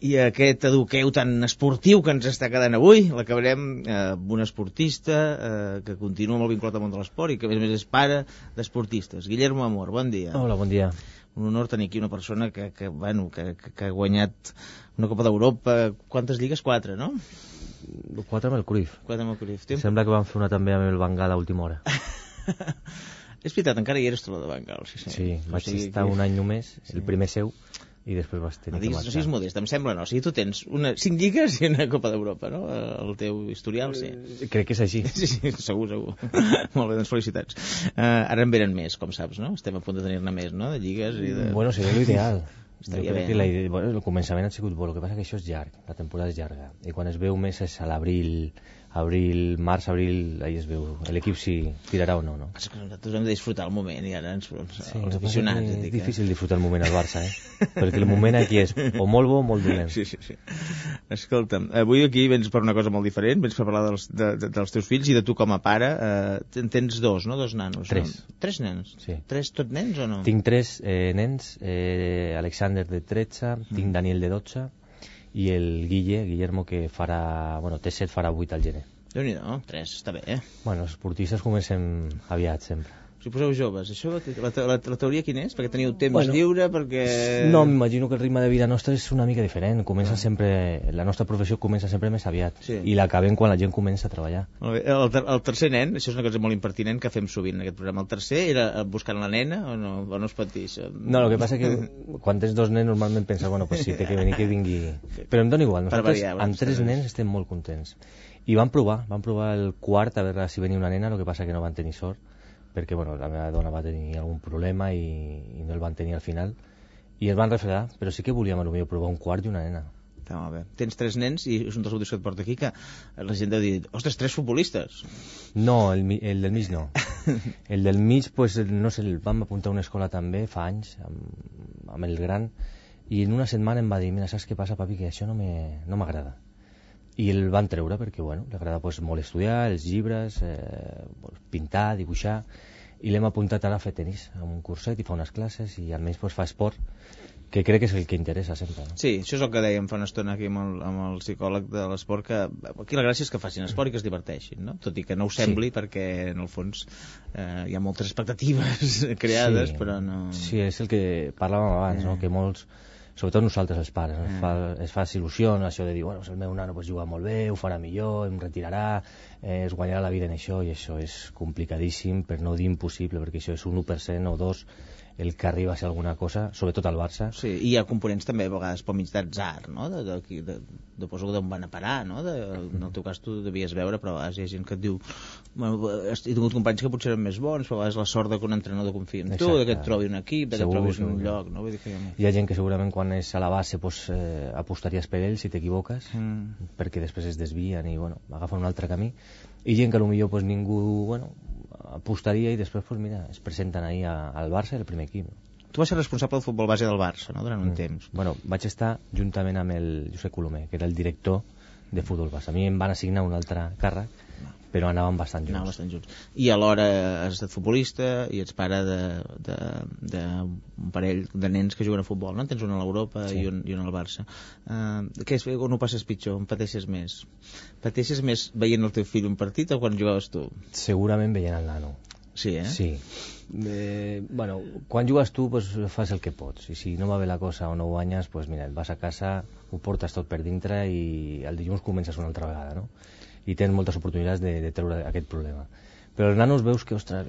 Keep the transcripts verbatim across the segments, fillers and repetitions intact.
I aquest eduqueu tan esportiu que ens està quedant avui l'acabarem eh, amb un esportista eh, que continua molt vinculat al món de l'esport i que a més a més és pare d'esportistes. Guillermo Amor, bon dia. Hola, bon dia. Un honor tenir aquí una persona que, que, bueno, que, que, que ha guanyat una Copa d'Europa. Quantes lligues? Quatre, no? Quatre amb el Cruyff. Quatre amb el Cruyff. Tem... Sembla que van fer una també amb el Bengal a última hora. És veritat, encara hi eres tu la de Bengal. Sí, sí. Sí, vaig o sigui, estar que... un any només, el sí. primer seu, i després vas tenir no diguis, que marxar. No siguis modest, em sembla no. O sigui, tu tens una, cinc lligues i una Copa d'Europa, no? El teu historial, sí. Eh, crec que és així. Sí, sí, segur, segur. Molt bé, doncs felicitats. Uh, ara en venen més, com saps, no? Estem a punt de tenir-ne més, no? De lligues i de... Bueno, seria l'ideal. Estaria jo crec bé, que no? la idea, bueno, el començament ha sigut bo, el que passa que això és llarg, la temporada és llarga, i quan es veu més és a l'abril, abril, març, abril, ahí es veu l'equip si tirarà o no, no? És que nosaltres hem de disfrutar el moment i ara ens, sí, els aficionats. És dic, difícil disfrutar el moment al Barça, eh? Perquè el moment aquí és o molt bo o molt dolent. Sí, sí, sí. Escolta'm, avui aquí vens per una cosa molt diferent, vens per parlar dels, de, de, dels teus fills i de tu com a pare. Eh, en tens dos, no? Dos nanos. Tres. No? Tres nens? Sí. Tres tot nens o no? Tinc tres eh, nens, eh, Alexander de tretze, mm. tinc Daniel de dotze i el Guille, Guillermo, que farà, bueno, té set, farà vuit al gener. Déu-n'hi-do, tres, està bé, eh? Bueno, els esportistes comencem aviat, sempre. Si poseu joves, això, la, la, la teoria quina és? Perquè teniu temps bueno, lliure, perquè... No, m'imagino que el ritme de vida nostre és una mica diferent. Comença ah. sempre, la nostra professió comença sempre més aviat. Sí. I l'acabem quan la gent comença a treballar. Molt bé. El, ter el tercer nen, això és una cosa molt impertinent que fem sovint en aquest programa. El tercer era buscant la nena o no, o no es pot dir això? No, el que passa que quan tens dos nens normalment penses, bueno, pues si té que venir, que vingui... Però em dona igual, nosaltres variar, amb tres nens estem molt contents. I van provar, van provar el quart a veure si venia una nena, el que passa que no van tenir sort, perquè bueno, la meva dona va tenir algun problema i, i no el van tenir al final i es van refredar, però sí que volíem potser provar un quart i una nena. Està molt bé. Tens tres nens i és un dels motius que et porta aquí que la gent deu dir, ostres, tres futbolistes. No, el, el del mig no. El del mig, pues, no sé, el vam apuntar a una escola també fa anys amb, amb el gran i en una setmana em va dir, mira, saps què passa, papi, que això no m'agrada. I el van treure perquè, bueno, li agrada pues, molt estudiar, els llibres, eh, pintar, dibuixar, i l'hem apuntat ara a fer tenis, a un curset, i fa unes classes, i almenys pues, fa esport, que crec que és el que interessa sempre. No? Sí, això és el que dèiem fa una estona aquí amb el, amb el psicòleg de l'esport, que aquí la gràcia és que facin esport i que es diverteixin, no? Tot i que no ho sembli, sí. Perquè en el fons eh, hi ha moltes expectatives creades, sí. Però no... Sí, és el que parlàvem abans, eh. no? Que molts... Sobretot nosaltres els pares, no? mm. es, fa, es fa il·lusió, no? Això de dir, bueno, el meu nano pues, juga molt bé, ho farà millor, em retirarà, eh, es guanyarà la vida en això, i això és complicadíssim, per no dir impossible, perquè això és un u per cent o dos el que arriba a ser alguna cosa, sobretot al Barça. Sí, i hi ha components també a vegades pel mig d'atzar, no? De, de, de, de, de poso d'on van a parar, no? De, en el teu cas tu devies veure, però a vegades hi ha gent que et diu, bueno, he tingut companys que potser eren més bons, però a vegades la sort de que un entrenador confia en tu, de que et trobi un equip, de que et trobis un lloc, no? Vull dir que hi ha... hi ha gent que segurament quan és a la base pues, eh, apostaries per ell si t'equivoques, mm. perquè després es desvien i bueno, agafen un altre camí, i gent que potser pues, ningú bueno, apostaria i després pues, mira, es presenten ahir a, al Barça, el primer equip. Tu vas ser responsable del futbol base del Barça, no?, durant un mm. temps. Bueno, vaig estar juntament amb el Josep Colomer, que era el director de futbol base. A mi em van assignar un altre càrrec, però anàvem bastant junts. Anàvem bastant junts. I alhora has estat futbolista i ets pare d'un parell de nens que juguen a futbol, no? Tens un a l'Europa sí. i, un, i un al Barça. Uh, què és, on ho passes pitjor? On pateixes més? Pateixes més veient el teu fill un partit o quan jugaves tu? Segurament veient el nano. Sí, eh? Sí. Eh, bueno, quan jugues tu pues, fas el que pots i si no va bé la cosa o no guanyes pues, mira, et vas a casa, ho portes tot per dintre i el dilluns comences una altra vegada, no? I tens moltes oportunitats de, de treure aquest problema. Però els nanos veus que, ostres,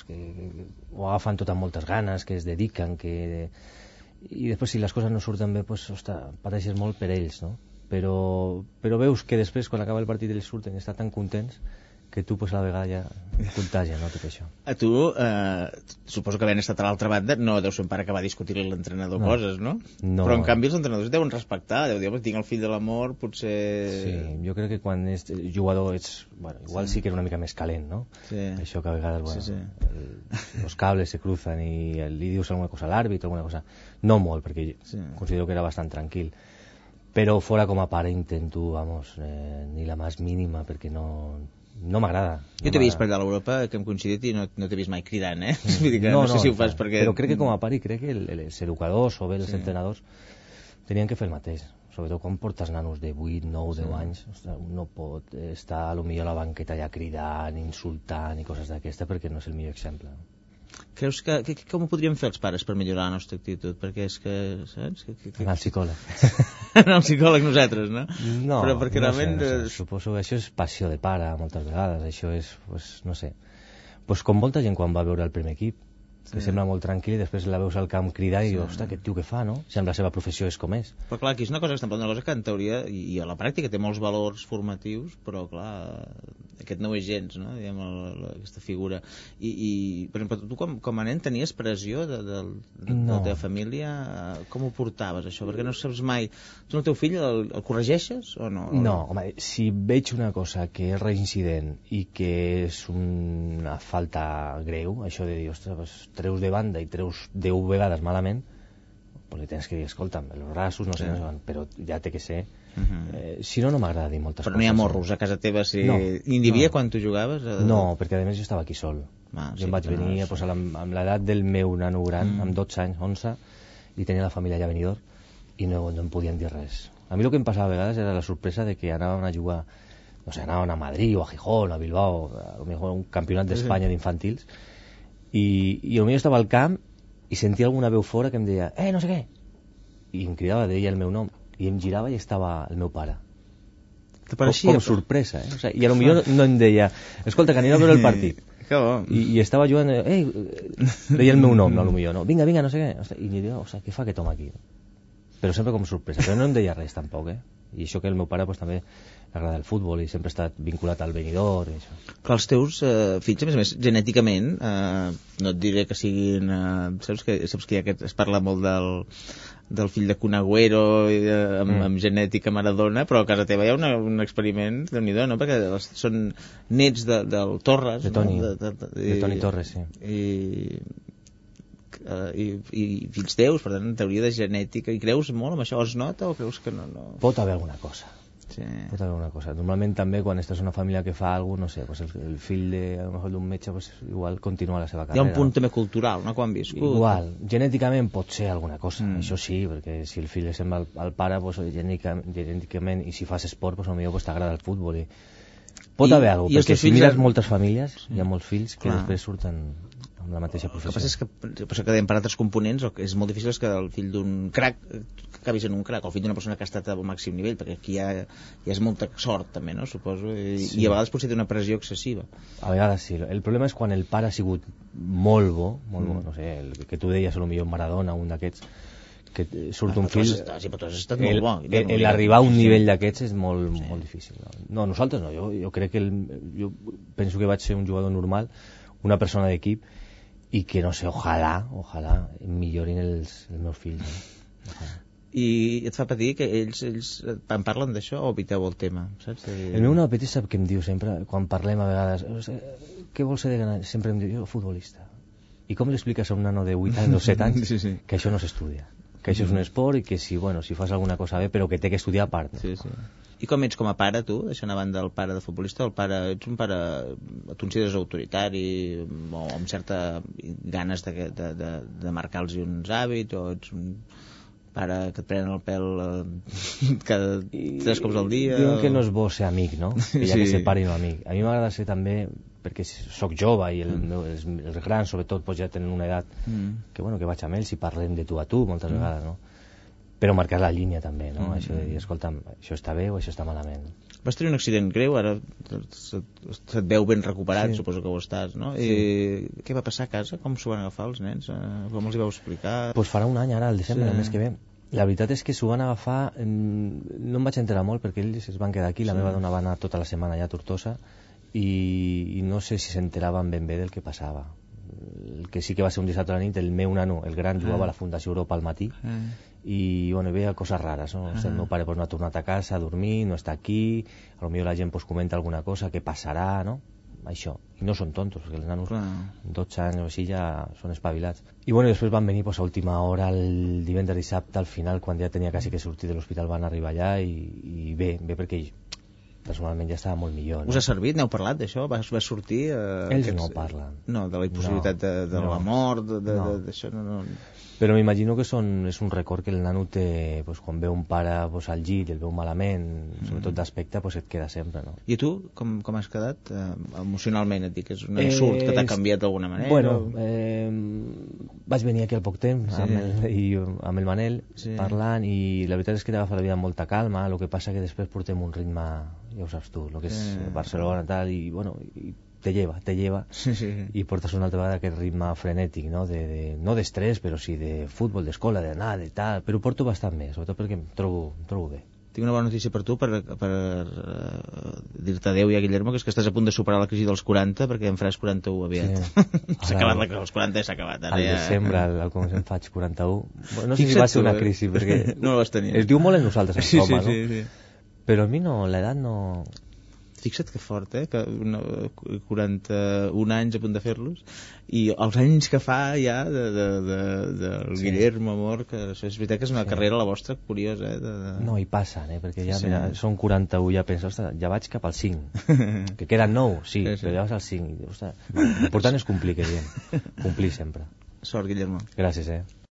que, que, que ho agafen tot amb moltes ganes, que es dediquen, que... i després si les coses no surten bé, pues, ostres, pateixes molt per ells, no? Però, però veus que després, quan acaba el partit, ells surten i estan tan contents que tu pues, a la vegada ja contagia, no, tot això. A tu, eh, suposo que havent estat a l'altra banda, no deu ser un pare que va discutir-li a l'entrenador no. coses, no? no? Però en canvi els entrenadors deuen respectar, deu dir, tinc el fill de l'amor, potser... Sí, jo crec que quan ets jugador ets... Bueno, igual sí. sí que era una mica més calent, no? Sí. Això que a vegades, bueno, sí, sí. El, los cables se cruzan i li dius alguna cosa a l'àrbit, alguna cosa... No molt, perquè sí. considero que era bastant tranquil. Però fora com a pare intento, vamos, eh, ni la més mínima, perquè no... No m'agrada. Jo no t'he vist per allà a l'Europa, que hem coincidit i no, no t'he vist mai cridant, eh? Mm. Vull dir que no, no, no sé si ho fas perquè... Però crec que com a pare crec que el, els educadors o bé els sí. entrenadors tenien que fer el mateix. sobretot quan portes nanos de vuit, nou, deu anys, ostres, no pot estar a lo millor a la banqueta ja cridant, insultant i coses d'aquesta, perquè no és el millor exemple. Creus que, que, que com ho podríem fer els pares per millorar la nostra actitud? Perquè és que, saps? Que, que, que... Anar al psicòleg. Anar al psicòleg nosaltres, no? No, però perquè no realment... sé, no sé. Suposo que això és passió de pare, moltes vegades, això és, pues, no sé, pues com molta gent quan va veure el primer equip, que sí. Sembla molt tranquil i després la veus al camp cridar i sí. Ostres, aquest tio què fa, no? Sembla la seva professió és com és. Però clar, aquí és una cosa que estem parlant, una cosa que en teoria i, i a la pràctica té molts valors formatius, però clar, aquest no ho és gens, no? Diguem, la, la, aquesta figura. I, i per exemple, tu com, com a nen tenies pressió de, de, de, no. de la teva família? Com ho portaves, això? Perquè no saps mai... Tu el teu fill el, el corregeixes o no? No, home, si veig una cosa que és reincident i que és una falta greu, això de dir, ostres, treus de banda i treus deu vegades malament, pues li tens que dir, escolta'm, els braços no sé, sí. no sé, però ja té que ser. Uh -huh. eh, si no, no m'agrada dir moltes però coses. Però no hi ha morros a casa teva? Si... No. Ni n'hi havia no. quan tu jugaves? A... No, perquè a més jo estava aquí sol. Ah, jo sí, em vaig venir no, pues, amb, amb l'edat del meu nano gran, mm. amb dotze anys, onze, i tenia la família allà a Benidorm, i no, no em podien dir res. A mi el que em passava a vegades era la sorpresa de que anàvem a jugar, no sé, anàvem a Madrid o a Gijón, a Bilbao, a lo mejor un campionat d'Espanya sí. d'infantils, i, i potser estava al camp i sentia alguna veu fora que em deia eh, no sé què, i em cridava, deia el meu nom, i em girava i estava el meu pare. Com, com sorpresa, eh? O sea, i potser no, no em deia escolta, que anem a veure el partit. I, i estava jugant, eh, deia el meu nom, no, potser no, vinga, vinga, no sé què, o sea, i em deia, o sea, què fa aquest home aquí? Però sempre com sorpresa, però no em deia res tampoc, eh? I això que el meu pare pues, també agrada el futbol i sempre ha estat vinculat al Benidorm i això. Clar, els teus eh, fills, a més a més, genèticament, eh, no et diré que siguin... Eh, saps que, saps que ja aquest, es parla molt del, del fill de Kun Agüero i de, amb, mm. amb genètica Maradona, però a casa teva hi ha una, un experiment de nhi no? Perquè són nets de, del Torres. De Toni, no? de, de, de, de Toni Torres, sí. I... Uh, i, i fills teus, per tant, en teoria de genètica, i creus molt amb això? Es nota o creus que no? no? Pot haver alguna cosa. Sí. Pot haver alguna cosa. Normalment també quan estàs en una família que fa alguna cosa, no sé, pues el, el fill de, a lo mejor d'un metge, pues igual continua la seva carrera. Hi ha un punt no? també cultural, no?, quan viscut. Igual, genèticament pot ser alguna cosa, mm. això sí, perquè si el fill és sembla al, al pare, pues, genèticament, genèticament, i si fas esport, pues, potser pues, t'agrada el futbol. I... Pot I, haver alguna cosa, perquè si mires han... moltes famílies, sí. hi ha molts fills que Clar. després surten amb la mateixa professió. El que passa és que, passa que per altres components és molt difícil que el fill d'un crac que acabis en un crac, o el fill d'una persona que ha estat al màxim nivell, perquè aquí hi ha, hi ha molta sort també, no? Suposo, i, sí. i a vegades potser té una pressió excessiva. A vegades sí, el problema és quan el pare ha sigut molt bo, molt mm. bo, no sé, el que tu deies a lo millor Maradona, un d'aquests que surt ah, un fill, estat, sí, però tu has estat molt bo, el, el arribar a un nivell d'aquests és molt, sí. molt difícil. No, nosaltres no, jo, jo crec que el, jo penso que vaig ser un jugador normal, una persona d'equip, i que no sé, ojalà, ojalà millorin els, els meus fills. No? Ojalà. I et fa patir que ells, ells en parlen d'això o eviteu el tema, saps? El meu nano petit sap què em diu sempre, quan parlem a vegades, què vols ser de gran? Sempre em diu, jo, futbolista. I com li expliques a un nano de vuit anys o set anys sí, sí. que això no s'estudia? Que això és un esport i que si, bueno, si fas alguna cosa bé, però que té que estudiar a part. Sí, sí. I com ets com a pare, tu, deixant a banda el pare de futbolista, el pare, ets un pare, tu consideres autoritari o amb certa ganes de, de, de, de marcar-los uns hàbits, o ets un pare que et prenen el pèl eh, cada tres cops al dia? Diuen o... que no és bo ser amic, no? Que hi ha sí. que ser pare i no amic. A mi m'agrada ser també, perquè sóc jove i el, mm. els, els grans, sobretot, pues, ja tenen una edat mm. que, bueno, que vaig amb ells i parlem de tu a tu moltes mm. vegades, no? Però marcar la línia també, no? Mm. Això de dir, escolta'm, això està bé o això està malament. Vas tenir un accident greu, ara se't, se't veu ben recuperat, sí. suposo que ho estàs, no? Sí. I què va passar a casa? Com s'ho van agafar els nens? Com els hi vau explicar? Doncs pues farà un any ara, al desembre, sí. el mes que ve. La veritat és que s'ho van agafar, no em vaig enterar molt perquè ells es van quedar aquí, la sí. meva dona va anar tota la setmana allà a Tortosa i, i no sé si s'enteraven ben bé del que passava. El que sí que va ser un dissabte a la nit, el meu nano, el gran, jugava a la Fundació Europa al matí ah. i bueno, veia coses rares, no? Ah. El meu pare pues, no ha tornat a casa a dormir, no està aquí, a lo millor la gent pues, comenta alguna cosa, què passarà, no? Això, i no són tontos, perquè els nanos Clar. dotze anys o així ja són espavilats. I bueno, després van venir pues, a última hora, el divendres dissabte, al final, quan ja tenia quasi que sortir de l'hospital, van arribar allà i, i bé, bé perquè personalment ja estava molt millor. No? Us ha servit? N'heu parlat d'això? Vas, vas sortir? Eh, Ells aquests... no parlen. No, de la impossibilitat no, de, de no. la mort, de, de, no. d'això no... no... Però m'imagino que són, és un record que el nano té, pues, quan veu un pare pues, al llit i el veu malament, sobretot d'aspecte, pues, et queda sempre, no? I tu, com, com has quedat eh, emocionalment? Et dic, és un ensurt eh, que t'ha canviat d'alguna manera? Bueno, eh, vaig venir aquí al poc temps sí. amb, el, i, amb el Manel sí. parlant, i la veritat és que t'agafa la vida amb molta calma, el que passa que després portem un ritme, ja ho saps tu, el que és sí. Barcelona tal, i bueno, i te lleva, te lleva sí, sí, sí. i portes una altra vegada aquest ritme frenètic, no de, de, no d'estrès, però sí de futbol, d'escola, d'anar, de tal, però ho porto bastant més, sobretot perquè em trobo, em trobo bé. Tinc una bona notícia per tu, per, per uh, dir-te adeu ja, Guillermo, que és que estàs a punt de superar la crisi dels quaranta, perquè en faràs quaranta-u aviat. Sí. S'ha acabat la crisi dels quaranta i s'ha acabat. Ara al ja... desembre, al, al començament faig quaranta-u. No sé Fixa't si va ser una crisi, perquè... no la vas tenir. Es diu molt en nosaltres, en sí, Roma, sí, sí, no? Sí. Però a mi no, l'edat no... Fixa't que fort, eh? Que una, quaranta-un anys a punt de fer-los, i els anys que fa ja de, de, de, de sí. Guillermo, amor, que és veritat que és una sí. carrera la vostra curiosa, eh? De, de... No, hi passen, eh? Perquè ja, sí. mira, són quaranta-u, ja penso, ostres, ja vaig cap al cinc, que queden nou, sí, sí, sí. però ja vas al cinc, ostres, l'important és complir, que diem, complir sempre. Sort, Guillermo. Gràcies, eh?